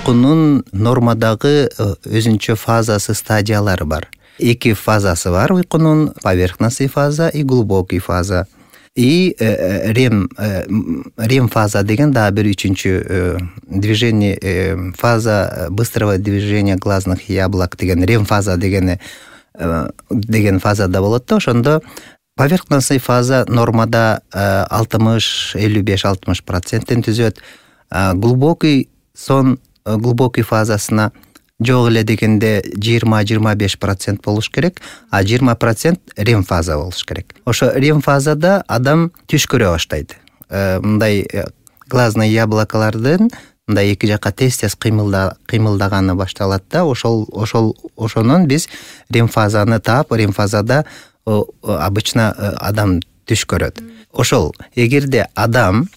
уйкунун нормадагы өзүнчө фазасы, стадиялары бар. 2 фазасы бар уйкунун: поверхностный фаза и глубокий фаза. И рем фаза деген дагы бир үчүнчү движение, фаза быстрого движения глазных яблок деген рем фаза деген фазада болот да. Ошондо поверхностный фаза нормада 55-60% түзөт. Глубокий фазасына жок эле дегенде 20-25% болуш керек, а 20% рем фаза болуш керек. Ошо рем фазада адам түш көрө баштайт. Мындай глазный яблокалардын мындай эки жакка тез-тез кыймылдаганы башталат да. Ошонун биз рем фазаны таап, рем фазада обычно адам түш көрөт. Ошол эгерде адам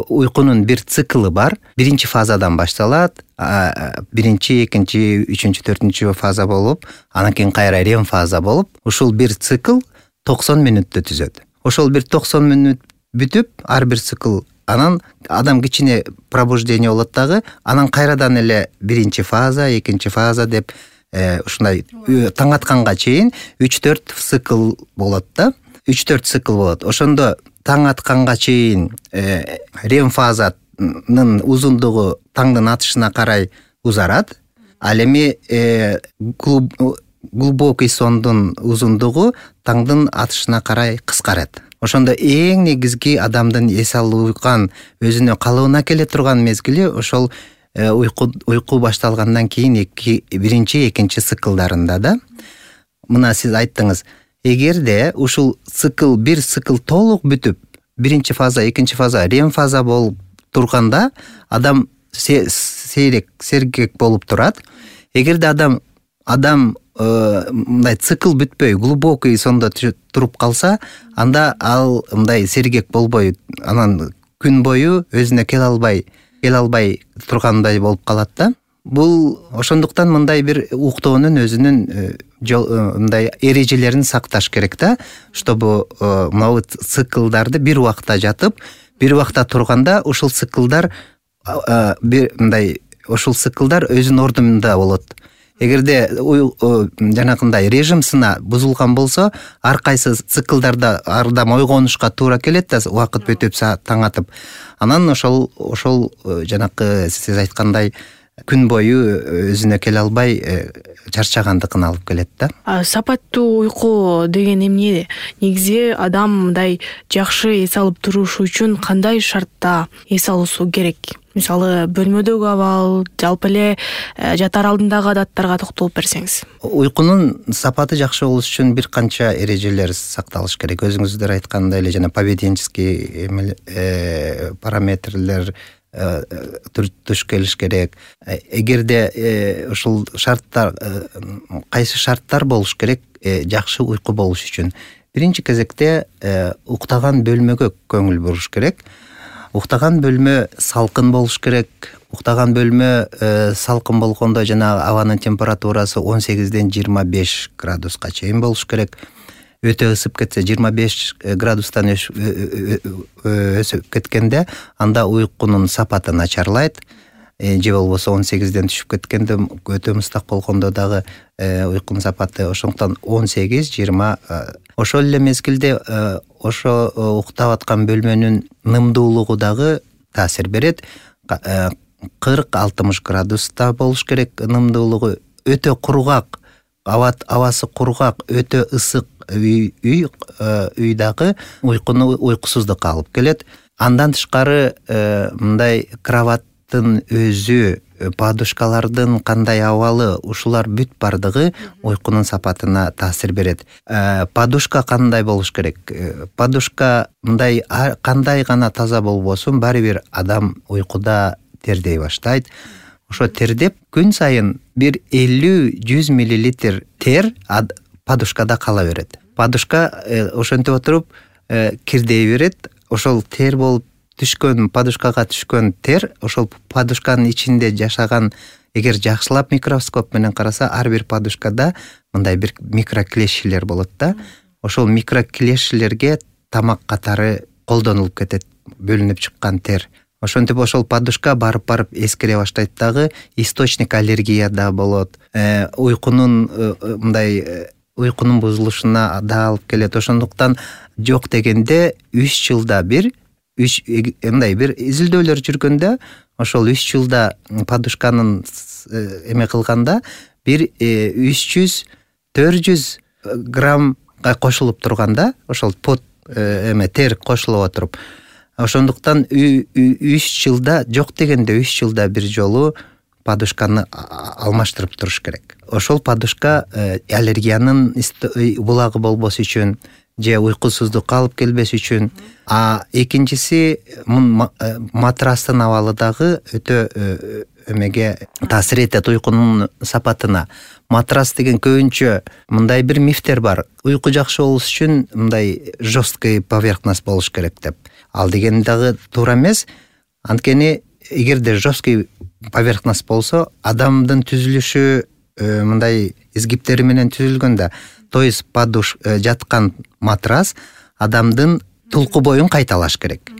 уйкунун бир циклы бар. Биринчи фазадан башталат. Биринчи, экинчи, үчүнчү, төртүнчү фаза болуп, анан кийин кайра рем фаза болуп, ушул бир цикл 90 мүнөттө түзөт. Ошол бир 90 мүнөт бүтүп, ар бир цикл анан адам кичине пробуждение болот дагы, анан кайрадан эле биринчи фаза, экинчи фаза деп ушундай таң атканга чейин 3-4 цикл болот да. 3-4 цикл болот. Ошондо таң атканга чейин рем фазанын узундугу таңдын атышына карай узарат. Ал эми глубокий сондун узундугу таңдын атышына карай кыскарат. Ошондо эң негизги адамдын эс алган, өзүнө калыбына келе турган мезгили ошол уйку башталгандан кийин биринчи, экинчи циклдарында да. Мына сиз айттыңыз, эгерде ушул бир цикл толук бүтүп, биринчи фаза, экинчи фаза, рем фаза болуп турганда адам сергек болуп турат. Эгерде адам мындай цикл бүтпөй, глубокий сонда туруп калса, анда ал мындай сергек болбой, анан күн бою өзүнө келе албай тургандай болуп калат да. Бул ошондуктан мындай бир уктоонун өзүнүн мындай эрежелерин сакташ керек да, чтобы могу циклдарды бир убакта жатып, бир убакта турганда ушул циклдар өзүнүн ордунда болот. Эгерде жанакындай режим сына бузулган болсо, ар кайсы циклдарда ардам ойгонушка туура келет да, убакыт бүтүп таң атып. Анан ошол жанакы сиз айткандай күн бою өзүнө келе албай чарчагандыгын алып келет да. Сапаттуу уйку деген эмне? Негизи адам мындай жакшы эс алып туруш үчүн кандай шартта эс алуусу керек? Мисалы, бөлмөдөгү абал, жалпы эле жатар алдындагы адаттарга токтолуп берсеңиз. Уйкунун сапаты жакшы болуш үчүн бир канча эрежелер сакталыш керек. Өзүңүздөр айткандай эле жана поведенческий параметрлер туш келиш керек. Эгерде ушул шарттар, кайсы шарттар болуш керек жакшы уйку болуш үчүн? Биринчи кезекте уктаган бөлмөгө көңүл буруш керек. Уктаган бөлмө салкын болуш керек. Уктаган бөлмө салкын болгондо жана абанын температурасы 18-ден 25 градуска чейин болуш керек. Өтө ысып кетсе, 25 градустан өсүп кеткенде, анда уйкунун сапаты начарлайт. Же болбосо 18-ден түшүп кеткенде, өтө мустак болгондо дагы уйкунун сапаты. Ошондуктан 18-20. Ошол эле мезгилде ошо уктап аткан бөлмөнүн нымдуулугу дагы таасир берет. 40-60 градуста болуш керек нымдуулугу. Өтө кургак, абасы кургак, өтө ысык үй дагы уйкуну уйкусуздукка алып келет. Андан тышкары мындай кроваттын өзү, подушкалардын кандай абалы, ушулар бүт бардыгы уйкунун сапатына таасир берет. Подушка кандай болуш керек? Подушка мындай кандай гана таза болбосун, баары бир адам уйкуда тердей баштайт. Ошо тердеп күн сайын бир 50-100 мл тер подушкада кала берет. Подушка ошентип отуруп кирдей берет. Ошол тер болуп түшкөн, подушкага түшкөн тер, ошол подушканын ичинде жашаган, эгер жакшылап микроскоп менен караса, ар бир подушкада мындай бир микроклешилер болот да. Ошол микроклешилерге тамак катары колдонулуп кетет, бөлүнүп чыккан тер. Ошентип ошол подушка барып эскире баштайт дагы, источник аллергия да болот, уйкунун уйкунун бузулушуна да алып келет. Ошондуктан жок дегенде 3 жылда бир бир изилдөөлөр жүргөндө ошол 3 жылда подушканын эме кылганда бир 300-400 граммга кошулуп турганда, ошол пот тер кошулуп отуруп, ошондуктан 3 жылда жок дегенде 3 жылда бир жолу подушканы алмаштырып туруш керек. Ошол подушка аллергиянын булагы болбос үчүн же уйкусуздукка алып келбес үчүн. Экинчиси матрастын абалы дагы өтө таасир этет уйкунун сапатына. Матрас деген көбүнчө мындай бир мифтер бар. Уйку жакшы болуш үчүн мындай жесткий поверхность болуш керек деп. Ал деген дагы туура эмес. Анткени эгерде жесткий поверхность болсо, адамдын түзүлүшү мындай изгиптери менен түзүлгөндө, то есть жаткан матрас адамдын тулку боюн кайталаш керек.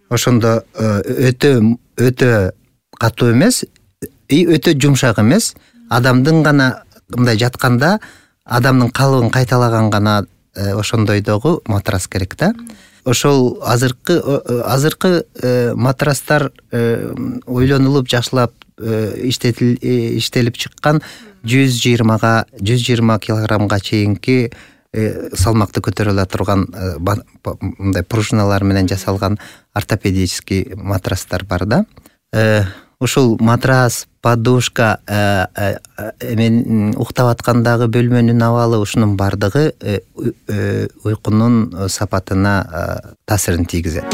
Ошондо өтө катуу эмес, өтө жумшак эмес, адамдын гана мындай жатканда адамдын калыбын кайталаган гана ошондойдогу матрас керек да. Ошол азыркы матрастар ойлонулуп жакшылап иштелип чыккан 120 килограммга чейинки салмакты көтөрө ала турган мындай пружиналар менен жасалган ортопедический матрастар бар да. Ушул матрас, подушка, уктап аткандагы бөлмөнүн абалы, ушунун бардыгы уйкунун сапатына таасирин тийгизет.